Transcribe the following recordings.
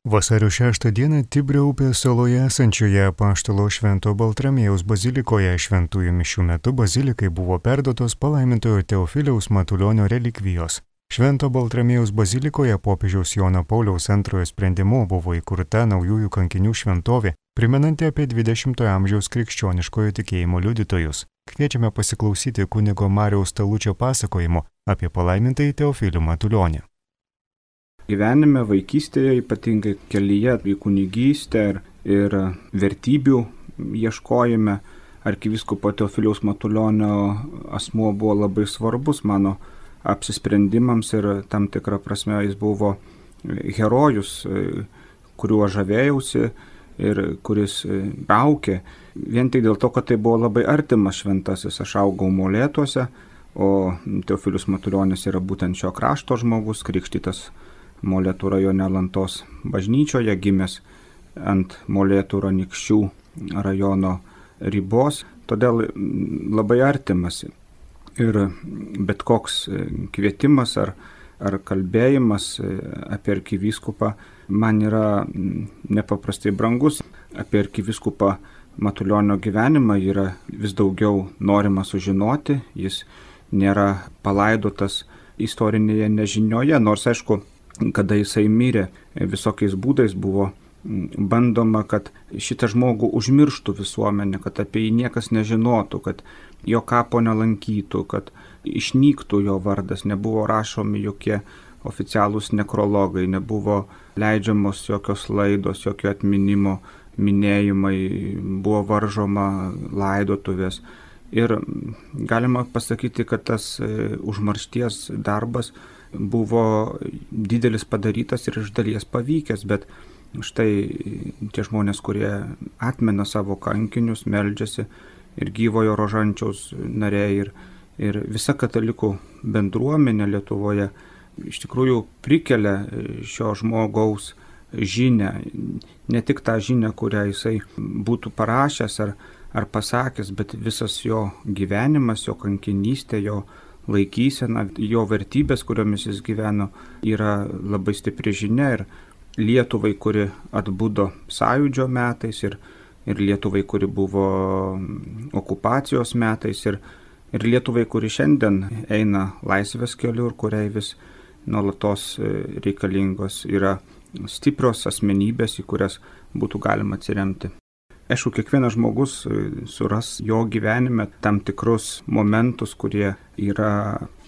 Vasario 6 dieną Tibrio upės saloje esančioje Apaštalo Švento Baltramiejaus bazilikoje šventųjų mišių metu bazilikai buvo perduotos palaimintojo Teofiliaus Matulionio relikvijos. Švento Baltramiejaus bazilikoje popiežiaus Jono Pauliaus II sprendimu buvo įkurta naujųjų kankinių šventovė, primenanti apie 20-ojo amžiaus krikščioniškojo tikėjimo liudytojus. Kviečiame pasiklausyti kunigo Mariaus Talučio pasakojimo apie palaimintąjį Teofilių Matulionį. Gyvenime, vaikystėje, ypatingai kelyje į kunigystę ir vertybių ieškojime, arkivyskupo Teofiliaus Matulionio asmuo buvo labai svarbus mano apsisprendimams ir tam tikrą prasme jis buvo herojus, kuriuo žavėjausi ir kuris aukė. Vien tik dėl to, kad tai buvo labai artimas šventasis, aš augau Molėtuose, o Teofilius Matulionis yra būtent šio krašto žmogus, krikštytas Molėtų rajone Alantos bažnyčioje, gimęs ant Molėtų Anykščių rajono ribos, todėl labai artimas. Ir bet koks kvietimas ar kalbėjimas apie arkivyskupą man yra nepaprastai brangus. Apie arkivyskupą Matulionio gyvenimą yra vis daugiau norima sužinoti, jis nėra palaidotas istorinėje nežinioje, nors aišku, kada jisai mirė, visokiais būdais buvo bandoma, kad šitą žmogų užmirštų visuomenė, kad apie jį niekas nežinotų, kad jo kapo nelankytų, kad išnyktų jo vardas, nebuvo rašomi jokie oficialūs nekrologai, nebuvo leidžiamos jokios laidos, jokio atminimo minėjimai, buvo varžoma laidotuvės. Ir galima pasakyti, kad tas užmaršties darbas buvo didelis padarytas ir iš dalies pavykęs, bet štai tie žmonės, kurie atmena savo kankinius, meldžiasi ir gyvojo rožančiaus nariai ir visa katalikų bendruomenė Lietuvoje iš tikrųjų prikelia šio žmogaus žinią, ne tik tą žinią, kurią jisai būtų parašęs ar pasakęs, bet visas jo gyvenimas, jo kankinystė, jo laikysena, jo vertybės, kuriomis jis gyveno, yra labai stipri žinia ir Lietuvai, kuri atbudo sąjūdžio metais ir Lietuvai, kuri buvo okupacijos metais ir Lietuvai, kuri šiandien eina laisvės keliu ir kuriai vis nuolatos reikalingos yra stiprios asmenybės, į kurias būtų galima atsiremti. Aišku, kiekvienas žmogus suras jo gyvenime tam tikrus momentus, kurie yra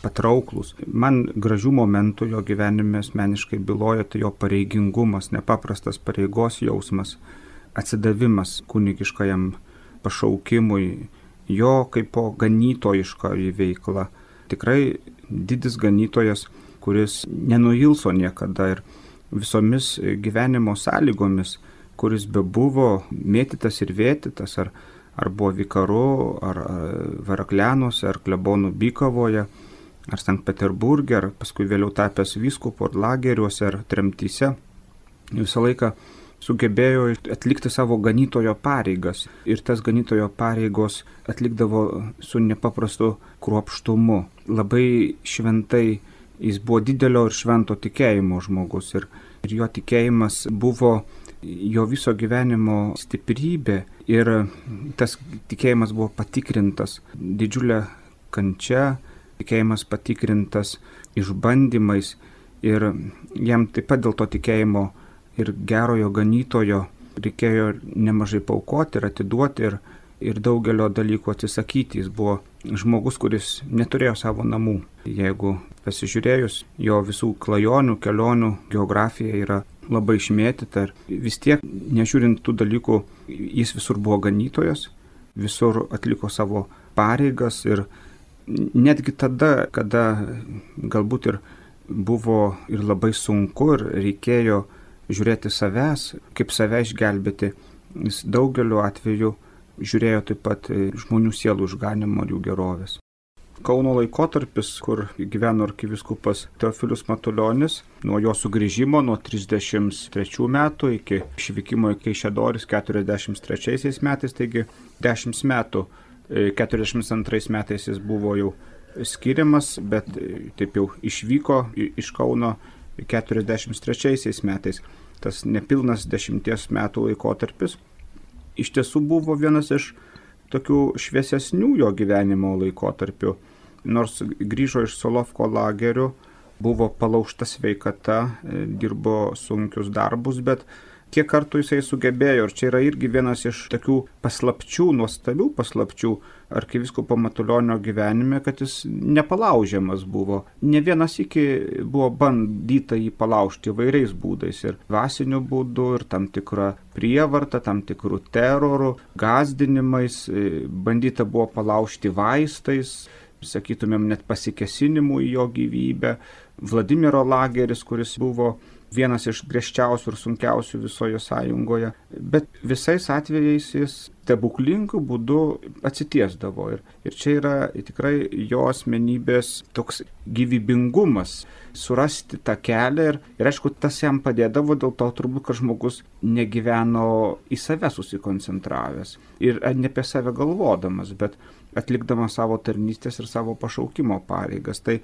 patrauklus. Man gražių momentų jo gyvenime asmeniškai byloja tai jo pareigingumas, nepaprastas pareigos jausmas, atsidavimas kunigiškajam pašaukimui, jo kaip ganytojiškoji veikla. Tikrai didis ganytojas, kuris nenuilso niekada ir visomis gyvenimo sąlygomis, kuris bebuvo mėtytas ir vėtytas, ar buvo vikaru, ar Varaklianuose, ar klebonų Bykavoje, ar Sankt Peterburge, ar paskui vėliau tapęs vyskupu, ar lageriuose, ar tremtyse, visą laiką sugebėjo atlikti savo ganytojo pareigas. Ir tas ganytojo pareigos atlikdavo su nepaprastu kruopštumu. Labai šventai jis buvo didelio ir švento tikėjimo žmogus ir jo tikėjimas buvo jo viso gyvenimo stiprybė ir tas tikėjimas buvo patikrintas didžiulė kančia, tikėjimas patikrintas išbandymais ir jam taip pat dėl to tikėjimo ir gerojo ganytojo reikėjo nemažai paaukoti ir atiduoti ir daugelio dalykų atsisakyti. Jis buvo žmogus, kuris neturėjo savo namų. Jeigu pasižiūrėjus, jo visų klajonių, kelionių geografija yra labai išmėtyta ir vis tiek, nežiūrint tų dalykų, jis visur buvo ganytojas, visur atliko savo pareigas ir netgi tada, kada galbūt ir buvo ir labai sunku ir reikėjo žiūrėti savęs, kaip save išgelbėti, jis daugeliu atveju žiūrėjo taip pat žmonių sielų išganimo ir jų gerovės. Kauno laikotarpis, kur gyveno arkivyskupas Teofilius Matulionis, nuo jo sugrįžimo nuo 33 metų iki išvykimo į Kaišiadorys 43 metais, taigi 10 metų, 42 metais jis buvo jau skiriamas, bet taip jau išvyko iš Kauno 43 metais. tas nepilnas 10 metų laikotarpis iš tiesų buvo vienas iš tokių šviesesnių jo gyvenimo laikotarpių. Nors grįžo iš Solovko lagerių, buvo palaužta sveikata, dirbo sunkius darbus, bet kiek kartų jisai sugebėjo, ir čia yra irgi vienas iš tokių paslapčių, nuostabių paslapčių arkivyskupo Matulionio gyvenime, kad jis nepalaužiamas buvo. Ne vienas iki buvo bandyta jį palaužti įvairiais būdais, ir dvasiniu būdu, ir tam tikrą prievartą, tam tikrų terorų, gąsdinimais, bandyta buvo palaužti vaistais, sakytumėm, net pasikėsinimu į jo gyvybę. Vladimiro lageris, kuris buvo vienas iš griežčiausių ir sunkiausių visoje sąjungoje, bet visais atvejais jis stebuklingų būdų atsitiesdavo. Ir čia yra tikrai jo asmenybės toks gyvybingumas, surasti tą kelią ir aišku, tas jam padėdavo dėl to turbūt, kad žmogus negyveno į save susikoncentravęs ir ne apie save galvodamas, bet atlikdamas savo tarnystės ir savo pašaukimo pareigas. Tai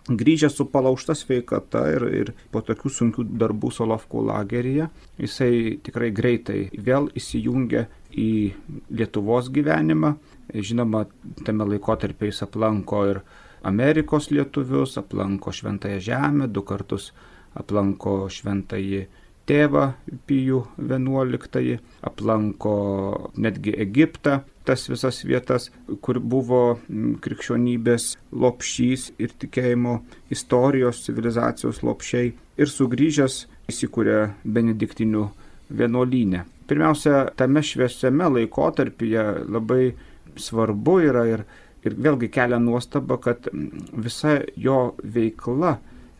grįžęs su palaužta sveikata ir po tokių sunkių darbų Solovkų lageryje, jisai tikrai greitai vėl įsijungė į Lietuvos gyvenimą. Žinoma, tame laikotarpyje jis aplanko ir Amerikos lietuvius, aplanko Šventąją Žemę, 2 kartus aplanko Šventąjį Tėvą Pijų XI, aplanko netgi Egiptą, tas visas vietas, kur buvo krikščionybės lopšys ir tikėjimo istorijos, civilizacijos lopšiai, ir sugrįžęs įsikūrė benediktinių vienuolyne. Pirmiausia, tame šviesiame laikotarpyje labai svarbu yra ir vėlgi kelia nuostaba, kad visa jo veikla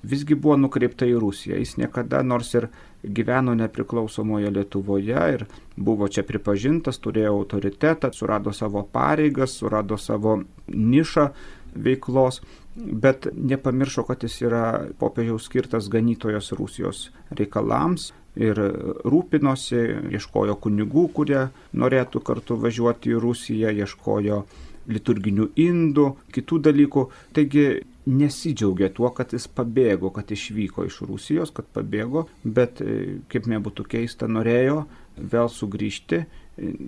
visgi buvo nukreipta į Rusiją. Jis niekada, nors ir gyveno nepriklausomoje Lietuvoje ir buvo čia pripažintas, turėjo autoritetą, surado savo pareigas, surado savo nišą veiklos, bet nepamiršo, kad jis yra popiežiaus skirtas ganytojas Rusijos reikalams ir rūpinosi, ieškojo kunigų, kurie norėtų kartu važiuoti į Rusiją, ieškojo liturginių indų, kitų dalykų. Taigi nesidžiaugė tuo, kad jis pabėgo, kad išvyko iš Rusijos, kad pabėgo, bet, kaip nebūtų keista, norėjo vėl sugrįžti,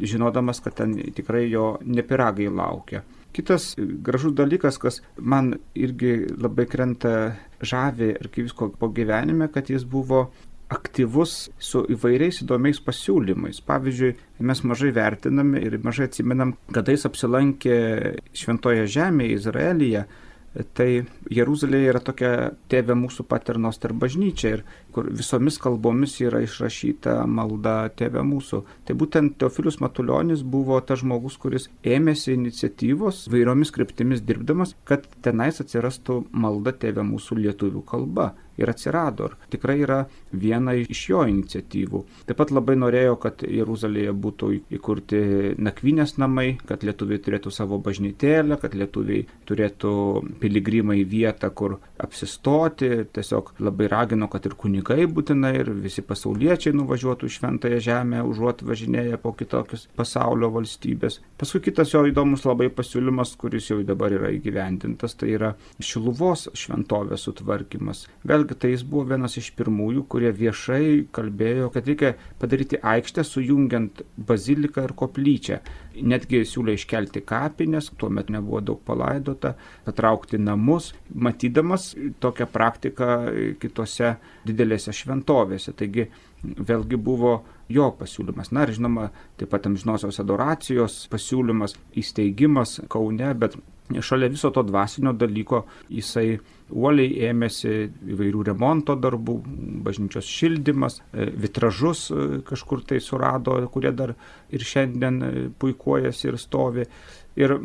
žinodamas, kad ten tikrai jo nepiragai laukia. Kitas gražus dalykas, kas man irgi labai krenta žavi arkivyskupo gyvenime, kad jis buvo aktyvus su įvairiais įdomiais pasiūlymais. Pavyzdžiui, mes mažai vertiname ir mažai atsimenam, kada jis apsilankė Šventoje Žemėje, Izraelyje. Tai Jeruzalėje yra tokia Tėve mūsų Paternoster bažnyčia, ir kur visomis kalbomis yra išrašyta malda Tėve mūsų. Tai būtent Teofilius Matulionis buvo tas žmogus, kuris ėmėsi iniciatyvos vairiomis kryptimis dirbdamas, kad tenais atsirastų malda Tėve mūsų lietuvių kalba. Ir atsirado. Ir tikrai yra viena iš jo iniciatyvų. Taip pat labai norėjo, kad Jeruzalėje būtų įkurti nakvynės namai, kad lietuviai turėtų savo bažnytėlę, kad lietuviai turėtų piligrimai vietą, kur apsistoti. Tiesiog labai ragino, kad ir kunigai būtinai, ir visi pasauliečiai nuvažiuotų į Šventąją Žemę, užuot važinėję po kitokius pasaulio valstybės. Paskui kitas jo įdomus labai pasiūlymas, kuris jau dabar yra įgyvendintas, tai yra Šiluvos šventovės sutvarkymas. Vėlgi, tai jis buvo vienas iš pirmųjų, kurie viešai kalbėjo, kad reikia padaryti aikštę sujungiant baziliką ir koplyčią. Netgi siūlė iškelti kapines, tuomet nebuvo daug palaidota, patraukti namus, matydamas tokią praktiką kitose didelėse šventovėse. Taigi vėlgi buvo jo pasiūlymas. Na ir žinoma, taip pat amžinosios adoracijos pasiūlymas, įsteigimas Kaune, bet šalia viso to dvasinio dalyko jisai uoliai ėmėsi įvairių remonto darbų, bažnyčios šildymas, vitražus kažkur tai surado, kurie dar ir šiandien puikuojasi ir stovi. Ir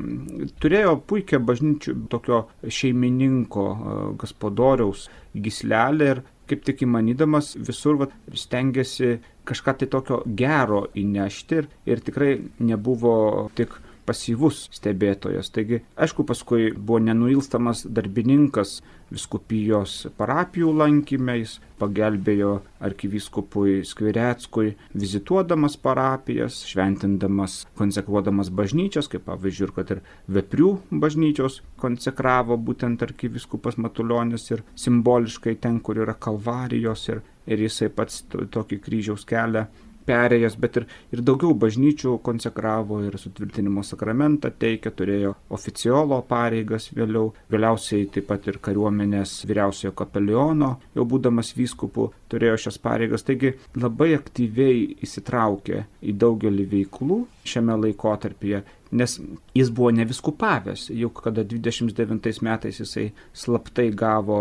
turėjo puikią bažnyčių tokio šeimininko, gospodoriaus gyslelę, ir kaip tik įmanydamas visur stengiasi kažką tai tokio gero įnešti, ir tikrai nebuvo tik pasyvus stebėtojas. Taigi, aišku, paskui buvo nenuilstamas darbininkas vyskupijos parapijų lankime, jis pagelbėjo arkivyskupui Skvireckui, vizituodamas parapijas, šventindamas, konsekruodamas bažnyčias, kaip pavyzdžiui, kad ir Veprių bažnyčios konsekravo būtent arkivyskupas Matulionis, ir simboliškai ten, kur yra kalvarijos, ir ir jisai pats tokį kryžiaus kelią perėjęs, bet ir daugiau bažnyčių konsekravo ir sutvirtinimo sakramentą teikė, turėjo oficiolo pareigas vėliausiai taip pat ir kariuomenės vyriausiojo kapeliono, jau būdamas vyskupu, turėjo šias pareigas, taigi labai aktyviai įsitraukė į daugelį veiklų šiame laikotarpyje, nes jis buvo neviskupavęs, juk kada 29 metais jisai slaptai gavo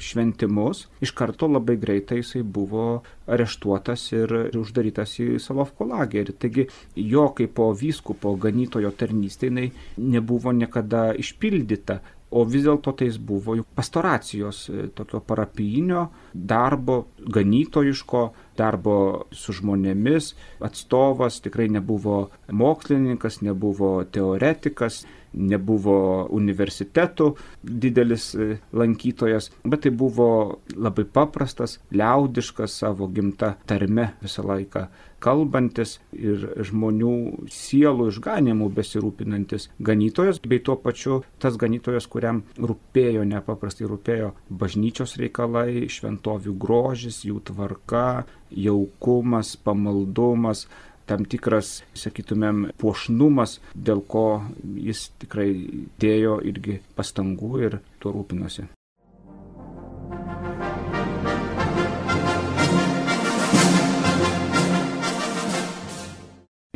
šventimus, iš karto labai greitai jisai buvo areštuotas ir uždarytas į Solovkų lagerį. Taigi jo kaip po vyskupo ganytojo tarnystė jinai nebuvo niekada išpildyta. O vis dėlto tai jis buvo pastoracijos, tokio parapijinio darbo, ganytojiško darbo su žmonėmis atstovas, tikrai nebuvo mokslininkas, nebuvo teoretikas, nebuvo universitetų didelis lankytojas, bet tai buvo labai paprastas, liaudiškas, savo gimta tarme visą laiką kalbantis ir žmonių sielų išganimų besirūpinantis ganytojas, bei tuo pačiu tas ganytojas, kuriam nepaprastai rūpėjo bažnyčios reikalai, šventovių grožis, jų tvarka, jaukumas, pamaldumas, tam tikras, sakytumėm, puošnumas, dėl ko jis tikrai dėjo irgi pastangų ir tuo rūpinosi.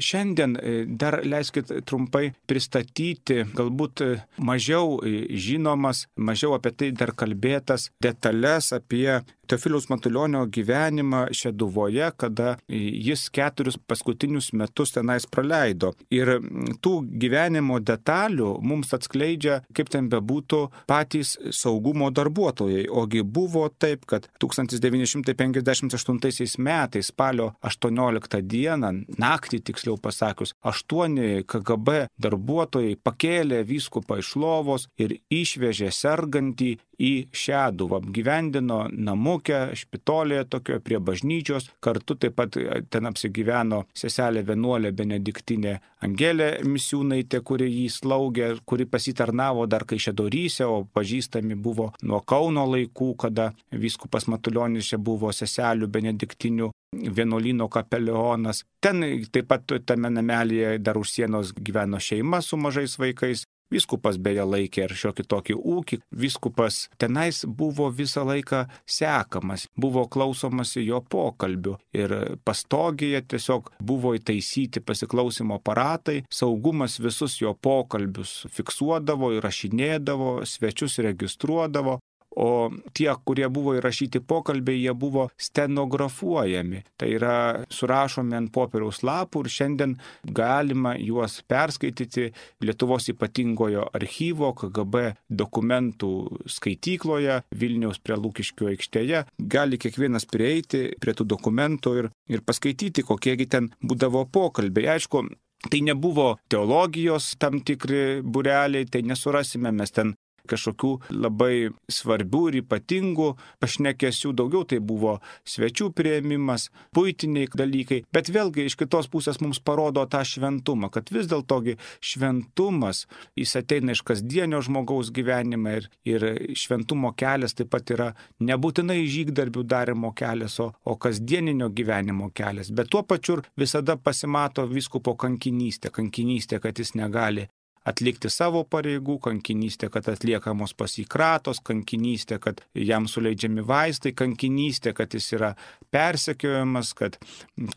Šiandien dar leiskit trumpai pristatyti galbūt mažiau žinomas, mažiau apie tai dar kalbėtas detalės apie Teofiliaus Matulionio gyvenimą Šeduvoje, kada jis 4 paskutinius metus tenais praleido. Ir tų gyvenimo detalių mums atskleidžia, kaip ten bebūtų, patys saugumo darbuotojai. Ogi buvo taip, kad 1958 metais spalio 18 dieną, naktį tiksliau pasakius, 8 KGB darbuotojai pakėlė vyskupą iš lovos ir išvežė sergantį į Šeduvą, apgyvendino namuke, špitolėje tokio prie bažnyčios, kartu taip pat ten apsigyveno seselė vienuolė benediktinė Angelė Misiūnaitė, kuri jį slaugė, kuri pasitarnavo dar Kaišiadoryse, o pažįstami buvo nuo Kauno laikų, kada vyskupas Matulionis čia buvo seselių benediktinių vienuolyno kapelionas. Ten taip pat tame namelėje dar už sienos gyveno šeima su mažais vaikais. Vyskupas beje laikė ir šiokį tokį ūkį. Vyskupas tenais buvo visą laiką sekamas, buvo klausomasi jo pokalbių ir pastogėje tiesiog buvo įtaisyti pasiklausimo aparatai, saugumas visus jo pokalbius fiksuodavo, įrašinėdavo, svečius registruodavo. O tie, kurie buvo įrašyti pokalbiai, jie buvo stenografuojami. Tai yra surašomi ant popieriaus lapų ir šiandien galima juos perskaityti Lietuvos ypatingojo archyvo KGB dokumentų skaitykloje Vilniaus prie Lukiškių aikštėje. Gali kiekvienas prieiti prie tų dokumentų ir paskaityti, kokiegi ten būdavo pokalbiai. Aišku, tai nebuvo teologijos tam tikri būreliai, tai nesurasime mes ten kažkokių labai svarbių ir ypatingų pašnekesių, daugiau tai buvo svečių priėmimas, buitiniai dalykai, bet vėlgi iš kitos pusės mums parodo tą šventumą, kad vis dėlto šventumas, jis ateina iš kasdienio žmogaus gyvenimą ir šventumo kelias taip pat yra nebūtinai žygdarbių darimo kelias, o kasdieninio gyvenimo kelias, bet tuo pačiu visada pasimato vyskupo kankinystė, kad jis negali atlikti savo pareigų, kankinystė, kad atliekamos pas jį kratos, kankinystė, kad jam suleidžiami vaistai, kankinystė, kad jis yra persekiojamas,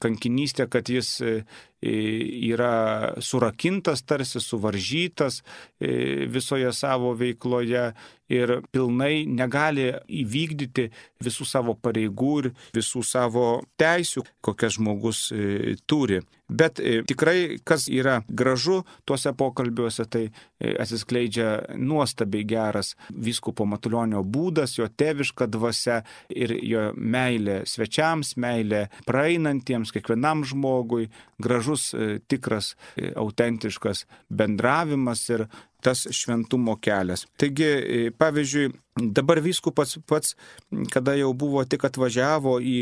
kankinystė, kad jis yra surakintas, tarsi suvaržytas visoje savo veikloje ir pilnai negali įvykdyti visų savo pareigų ir visų savo teisių, kokias žmogus turi. Bet tikrai, kas yra gražu tuose pokalbiuose, tai atsiskleidžia nuostabiai geras vyskupo Matulionio būdas, jo tėviška dvasia ir jo meilė svečiams, meilė praeinantiems, kiekvienam žmogui, gražus, tikras, autentiškas bendravimas ir tas šventumo kelias. Taigi, pavyzdžiui, Dabar vyskupas pats, kada jau buvo tik atvažiavo į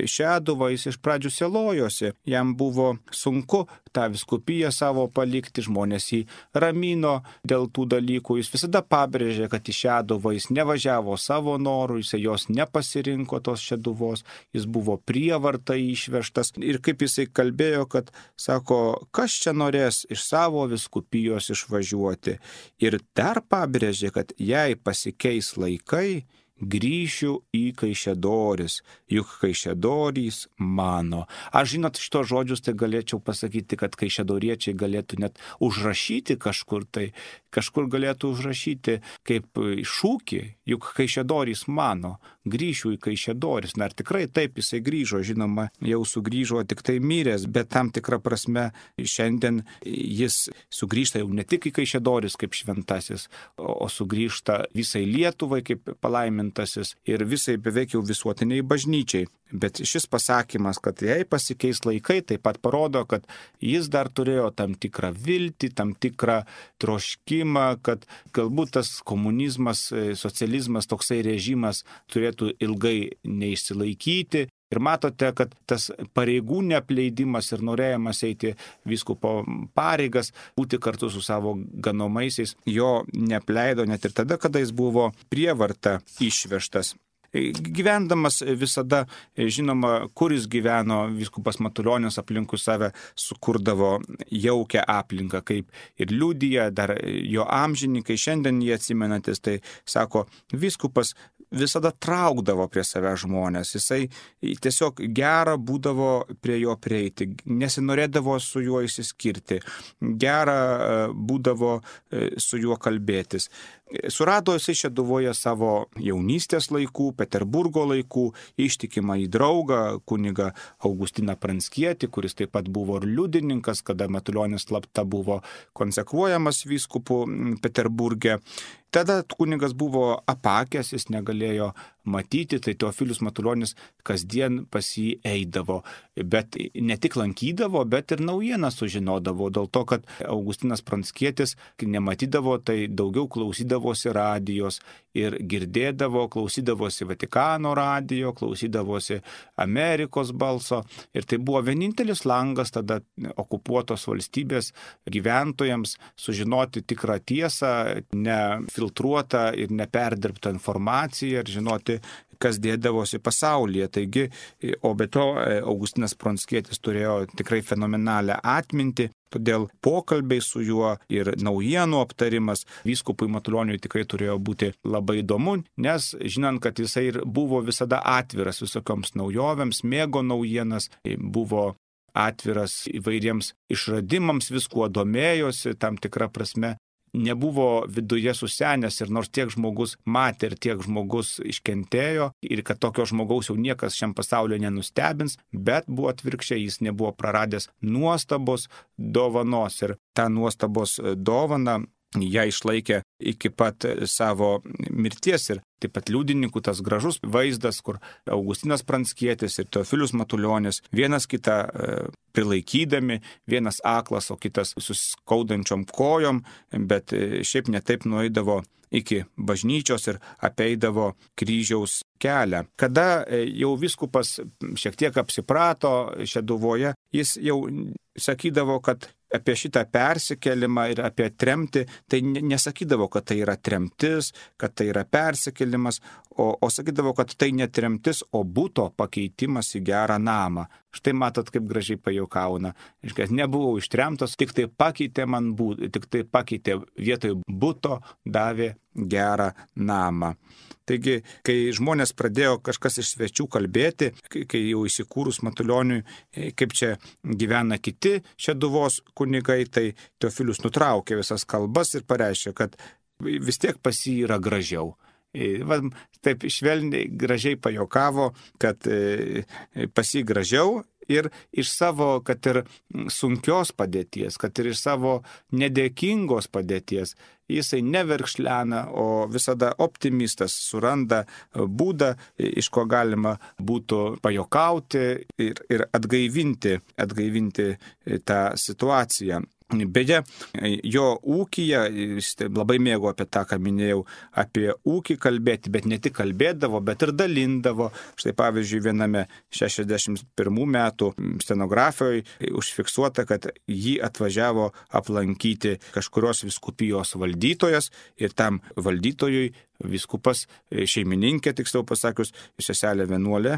Šeduvą, jis iš pradžių selojosi, jam buvo sunku tą vyskupiją savo palikti, žmonės jį ramino dėl tų dalykų, jis visada pabrėžė, kad į Šeduvą jis nevažiavo savo norų, jis jos nepasirinko tos Šeduvos, jis buvo prievarta išvežtas ir kaip jisai kalbėjo, kad sako, kas čia norės iš savo vyskupijos išvažiuoti ir dar pabrėžė, kad jei pasikeis laikai, grįšiu į Kaišiadoris, juk Kaišiadorys mano. Aš žinot, šitos žodžius tai galėčiau pasakyti, kad kaišiadoriečiai galėtų net užrašyti kažkur galėtų užrašyti kaip šūkį, juk Kaišiadorys mano, grįšiu į Kaišiadoris. Na ir tikrai taip jisai grįžo, žinoma, jau sugrįžo tik tai miręs, bet tam tikrą prasme šiandien jis sugrįžta jau ne tik į Kaišiadoris kaip šventasis, o sugrįžta visai Lietuvai kaip palaimintasis ir visai beveik jau visuotiniai bažnyčiai. Bet šis pasakymas, kad jei pasikeis laikai, taip pat parodo, kad jis dar turėjo tam tikrą viltį, tam tikrą troškimą, kad galbūt tas komunizmas, socializmas, toksai režimas turėtų ilgai neišsilaikyti. Ir matote, kad tas pareigų neapleidimas ir norėjimas eiti vyskupo pareigas, būti kartu su savo ganomaisiais, jo neapleido net ir tada, kada jis buvo prievarta išvežtas. Gyvendamas visada, žinoma, kur jis gyveno, vyskupas Matulionis aplinkui save sukurdavo jaukią aplinką, kaip ir liudija dar jo amžininkai, šiandien jie atsimenantis, tai sako, vyskupas visada traukdavo prie save žmonės, jisai tiesiog gera būdavo prie jo prieiti, nesinorėdavo su juo išsiskirti, gera būdavo su juo kalbėtis. Surado jisai Šeduvoje savo jaunystės laikų, Peterburgo laikų, ištikimą į draugą, kunigą Augustiną Pranckietį, kuris taip pat buvo ir liudininkas, kada Matulionis slapta buvo konsekruojamas vyskupu Peterburge. Tada kunigas buvo apakęs, jis negalėjo matyti, tai Teofilius Matulionis kasdien pas jį eidavo, bet ne tik lankydavo, bet ir naujieną sužinodavo, dėl to, kad Augustinas Pranckietis nematydavo, tai daugiau klausydavosi radijos ir girdėdavo, klausydavosi Vatikano radijo, klausydavosi Amerikos balso ir tai buvo vienintelis langas tada okupuotos valstybės gyventojams sužinoti tikrą tiesą, nefiltruotą ir neperdirbtą informaciją ir žinoti, kas dėdavosi pasaulyje. Taigi, o be to Augustinas Pranckietis turėjo tikrai fenomenalią atmintį, todėl pokalbiai su juo ir naujienų aptarimas vyskupui Matulioniui tikrai turėjo būti labai įdomu, nes žinant, kad jisai ir buvo visada atviras visokioms naujovėms, mėgo naujienas, buvo atviras įvairiems išradimams, viskuo domėjosi, tam tikrą prasme nebuvo viduje susenęs ir nors tiek žmogus matė ir tiek žmogus iškentėjo ir kad tokio žmogaus jau niekas šiam pasaulyje nenustebins, bet buvo atvirkščiai, jis nebuvo praradęs nuostabos dovanos ir tą nuostabos dovaną ją išlaikė iki pat savo mirties ir taip pat liudininkų tas gražus vaizdas, kur Augustinas Pranckietis ir Teofilius Matulionis vienas kitą prilaikydami, vienas aklas, o kitas suskaudančiom kojom, bet šiaip netaip nueidavo iki bažnyčios ir apeidavo kryžiaus kelią. Kada jau vyskupas šiek tiek apsiprato Šeduvoje, jis jau sakydavo, kad apie šitą persikėlimą ir apie tremtį, tai nesakydavo, kad tai yra tremtis, kad tai yra persikėlimas, o sakydavo, kad tai ne tremtis, o būto pakeitimas į gerą namą. Štai matot, kaip gražiai pajuokauna. Nebuvau ištremtas, tik tai pakeitė man būtą, tik tai pakeitė vietoj būto, davė gerą namą. Taigi, kai žmonės pradėjo kažkas iš svečių kalbėti, kai jau įsikūrus Matulioniui, kaip čia gyvena kiti Šeduvos kunigai, tai Teofilius nutraukė visas kalbas ir pareiškė, kad vis tiek pas jį yra gražiau. Taip švelniai gražiai pajuokavo, kad pas jį gražiau ir iš savo, kad ir sunkios padėties, kad ir iš savo nedėkingos padėties, jisai neverkšlena, o visada optimistas suranda būdą, iš ko galima būtų pajokauti ir atgaivinti tą situaciją. Beje, jo ūkyje, jis labai mėgo apie tą, ką minėjau, apie ūkį kalbėti, bet ne tik kalbėdavo, bet ir dalindavo. Štai pavyzdžiui, viename 61 metų stenografijoje užfiksuota, kad jį atvažiavo aplankyti kažkurios vyskupijos valdytojas ir tam valdytojui vyskupas, šeimininkė, tiksliau pasakius, seselė vienuolė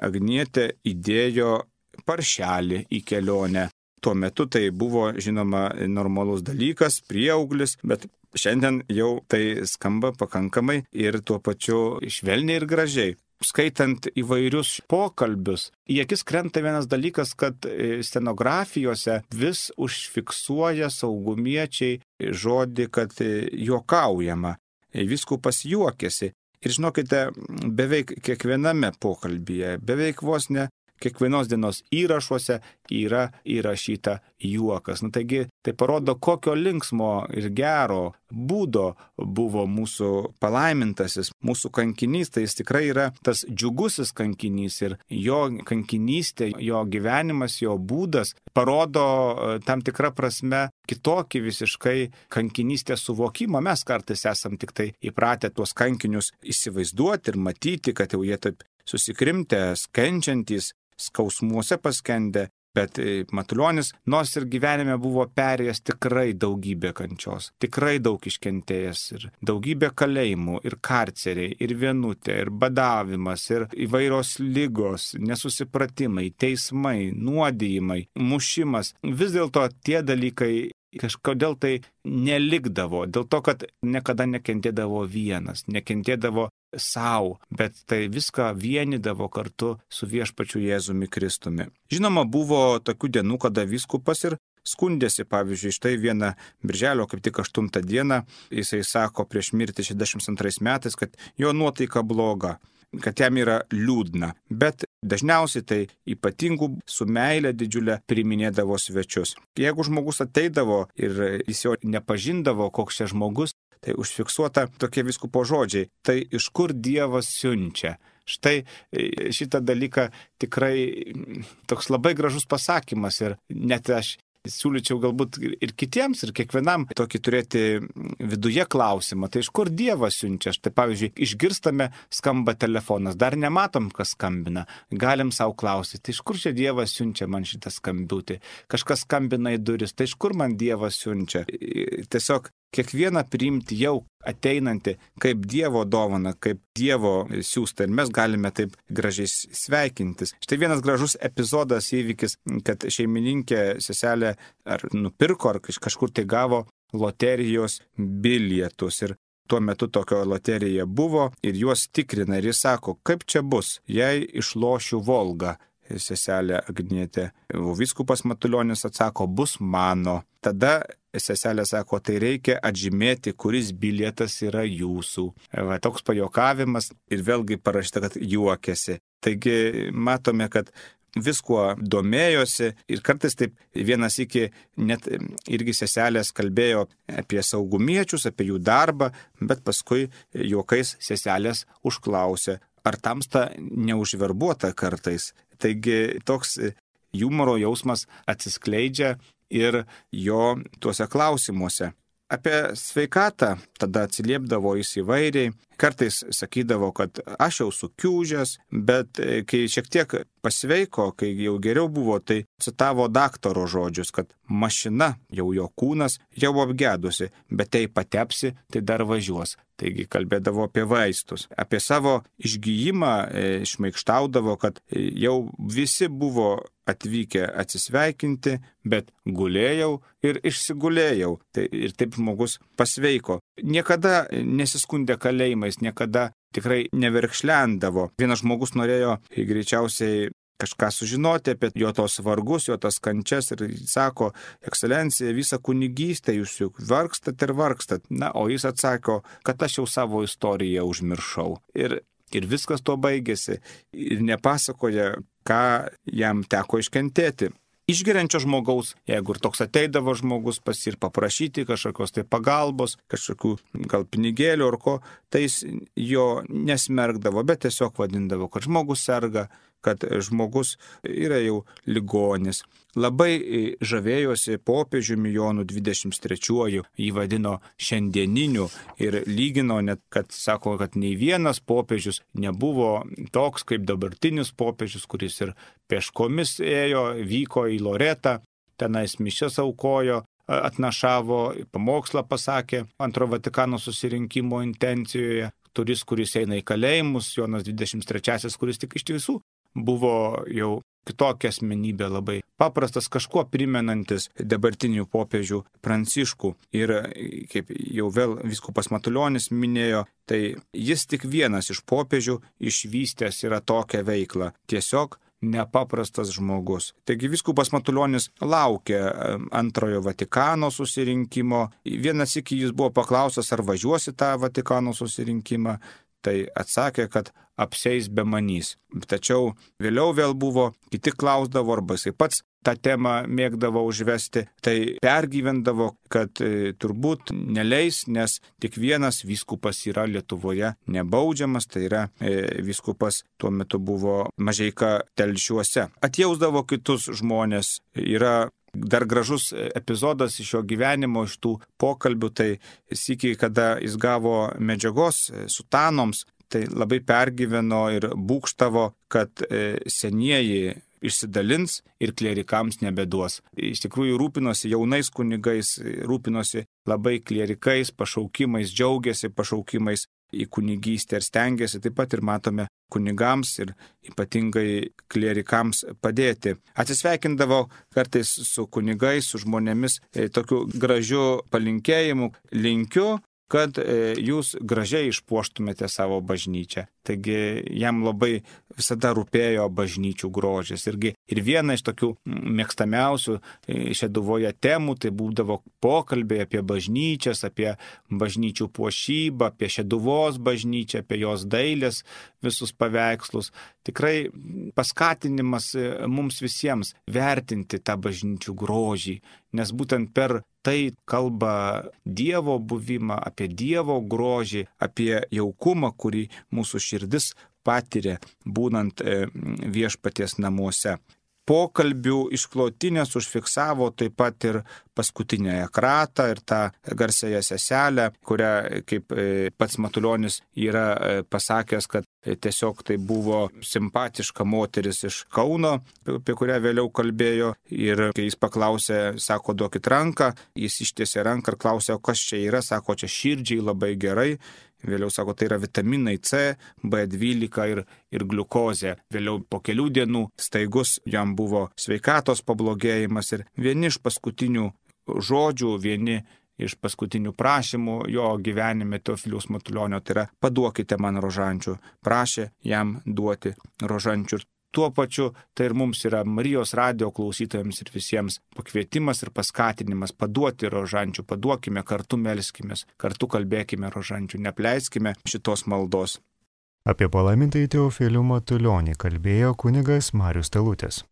Agnietė įdėjo paršelį į kelionę. Tuo metu tai buvo, žinoma, normalus dalykas, prieauglis, bet šiandien jau tai skamba pakankamai ir tuo pačiu švelniai ir gražiai. Skaitant įvairius pokalbius, į akis krenta vienas dalykas, kad stenografijose vis užfiksuoja saugumiečiai žodį, kad juokaujama. Vyskupas juokėsi. Ir žinokite, beveik kiekviename pokalbyje, beveik vos ne kiekvienos dienos įrašuose yra įrašyta juokas. Taigi tai parodo, kokio linksmo ir gero būdo buvo mūsų palaimintasis, mūsų kankinys. Tai jis tikrai yra tas džiugusis kankinys ir jo kankinystė, jo gyvenimas, jo būdas parodo tam tikrą prasme kitokį visiškai kankinystės suvokimą. Mes kartais esam tik tai įpratę tuos kankinius įsivaizduoti ir matyti, kad jau jie taip susikrimtę, kenčiantys, skausmuose paskendę, bet Matulionis nors ir gyvenime buvo perėjęs tikrai daugybę kančios, tikrai daug iškentėjęs ir daugybę kalėjimų ir karceriai, ir vienutė, ir badavimas, ir įvairios ligos, nesusipratimai, teismai, nuodijimai, mušimas. Vis dėlto tie dalykai kažkodėl tai nelikdavo, dėl to, kad niekada nekentėdavo vienas, nekentėdavo savo, bet tai viską vienydavo kartu su viešpačiu Jėzumi Kristumi. Žinoma, buvo tokių dienų, kada vyskupas ir skundėsi, pavyzdžiui, štai vieną birželio, kaip tik 8 dieną, jisai sako prieš mirtį 62 metais, kad jo nuotaika bloga, kad jam yra liūdna, bet dažniausiai tai ypatingų su meile didžiulė priiminėdavo svečius. Jeigu žmogus ateidavo ir jis jo nepažindavo, koks čia žmogus, tai užfiksuota tokie vyskupo žodžiai, tai iš kur Dievas siunčia. Štai šitą dalyką tikrai toks labai gražus pasakymas ir net aš siūlyčiau galbūt ir kitiems, ir kiekvienam tokį turėti viduje klausimą. Tai iš kur Dievas siunčia? Štai pavyzdžiui, išgirstame, skamba telefonas, dar nematom, kas skambina. Galim savo klausyti, tai iš kur čia Dievas siunčia man šitą skambutį? Kažkas skambina į duris, tai iš kur man Dievas siunčia? Tiesiog kiekvieną priimti jau ateinantį kaip Dievo dovana, kaip Dievo siųsta. Ir mes galime taip gražiai sveikintis. Štai vienas gražus epizodas, įvykis, kad šeimininkė seselė ar nupirko, ar kažkur tai gavo loterijos bilietus. Ir tuo metu tokio loterija buvo ir juos tikrina. Ir jis sako, kaip čia bus, jei išlošiu Volgą. Seselė Agnietė. Vyskupas Matulionis atsako, bus mano. Tada seselė sako, tai reikia atžymėti, kuris bilietas yra jūsų. Toks pajuokavimas ir vėlgi parašyta, kad juokėsi. Taigi matome, kad viskuo domėjosi ir kartais taip vienas iki net irgi seselės kalbėjo apie saugumiečius, apie jų darbą, bet paskui juokais seselės užklausė, ar tamsta neužverbuota kartais. Taigi toks humoro jausmas atsiskleidžia ir jo tuose klausimuose. Apie sveikatą tada atsiliepdavo jis įvairiai. Kartais sakydavo, kad aš jau sukiūžęs, bet kai šiek tiek pasveiko, kai jau geriau buvo, tai citavo daktaro žodžius, kad mašina, jau jo kūnas, jau apgedusi, bet jei patepsi, tai dar važiuos. Taigi kalbėdavo apie vaistus. Apie savo išgijimą šmaikštaudavo, kad jau visi buvo atvykę atsisveikinti, bet gulėjau ir išsigulėjau. Ir taip žmogus pasveiko. Niekada nesiskundė kalėjimais, niekada tikrai neverkšlendavo. Vienas žmogus norėjo greičiausiai kažką sužinoti apie jo tos vargus, jo tas kančias ir sako, ekscelencija, visą kunigystę jūs juk vargstat ir vargstat. Na, o jis atsako, kad aš jau savo istoriją užmiršau. Ir viskas tuo baigėsi. Ir nepasakoja, ką jam teko iškentėti. Išgeriančio žmogaus, jeigu ir toks ateidavo žmogus pas ir paprašyti kažkokios tai pagalbos, kažkokių gal pinigėlių ar ko, tai jis jo nesmergdavo, bet tiesiog vadindavo, kad žmogus serga, kad žmogus yra jau ligonis. Labai žavėjosi popiežiumi Jonu 23, jį vadino šiandieniniu ir lygino net, kad sako, kad nei vienas popiežius nebuvo toks kaip dabartinis popiežius, kuris ir peškomis ėjo, vyko į Loretą, tenais mišias aukojo, atnašavo, pamokslą pasakė Antrojo Vatikano susirinkimo intencijoje, kuris eina į kalėjimus, Jonas 23, kuris tik iš tiesų buvo jau kitokia asmenybė, labai paprastas, kažkuo primenantis dabartinių popiežių Pranciškų. Ir kaip jau vėl vyskupas Matulionis minėjo, tai jis tik vienas iš popiežių išvystęs yra tokią veiklą. Tiesiog nepaprastas žmogus. Taigi vyskupas Matulionis laukia Antrojo Vatikano susirinkimo. Vienas iki jis buvo paklaustas, ar važiuosi tą Vatikano susirinkimą. Tai atsakė, kad apseis be manys. Tačiau vėliau vėl buvo, kiti klausdavo, arba jisai pats tą temą mėgdavo užvesti, tai pergyvendavo, kad turbūt neleis, nes tik vienas vyskupas yra Lietuvoje nebaudžiamas, tai yra vyskupas tuo metu buvo Mažeika Telšiuose. Atjausdavo kitus žmonės, yra dar gražus epizodas iš jo gyvenimo, iš tų pokalbių, tai sykį, kada jis gavo medžiagos sutanoms, tai labai pergyveno ir būgštavo, kad senieji išsidalins ir klierikams nebeduos. Iš tikrųjų rūpinosi jaunais kunigais, rūpinosi labai klierikais, pašaukimais, džiaugiasi pašaukimais į kunigystę ir stengiasi, taip pat ir matome kunigams ir ypatingai klierikams padėti. Atsisveikindavo kartais su kunigais, su žmonėmis tokiu gražiu palinkėjimu. Linkiu, kad jūs gražiai išpuoštumėte savo bažnyčią. Taigi jam labai visada rūpėjo bažnyčių grožis. Ir viena iš tokių mėgstamiausių Šeduvoje temų tai būdavo pokalbiai apie bažnyčias, apie bažnyčių puošybą, apie Šeduvos bažnyčią, apie jos dailės visus paveikslus. Tikrai paskatinimas mums visiems vertinti tą bažnyčių grožį, nes būtent per tai kalba Dievo buvimą, apie Dievo grožį, apie jaukumą, kurį mūsų širdis patiria, būnant viešpaties namuose. Pokalbių išklotinės užfiksavo taip pat ir paskutinėje kratą ir tą garsiąją seselę, kurią, kaip pats Matulionis yra pasakęs, kad tiesiog tai buvo simpatiška moteris iš Kauno, apie kurią vėliau kalbėjo. Ir kai jis paklausė, sako, duokit ranką, jis ištiesė ranką ir klausė, o kas čia yra, sako, čia širdžiai labai gerai. Vėliau sako, tai yra vitaminai C, B12 ir gliukozė. Vėliau po kelių dienų staigus jam buvo sveikatos pablogėjimas ir vieni iš paskutinių žodžių, vieni iš paskutinių prašymų jo gyvenime Teofiliaus Matulionio, tai yra paduokite man rožančių. Prašė jam duoti rožančių. Tuo pačiu tai ir mums yra Marijos radijo klausytojams ir visiems pakvietimas ir paskatinimas paduoti rožančių, paduokime, kartu melskimės, kartu kalbėkime rožančių, neapleiskime šitos maldos. Apie palaimintąjį Teofilių Matulionį kalbėjo kunigas Marius Talutis.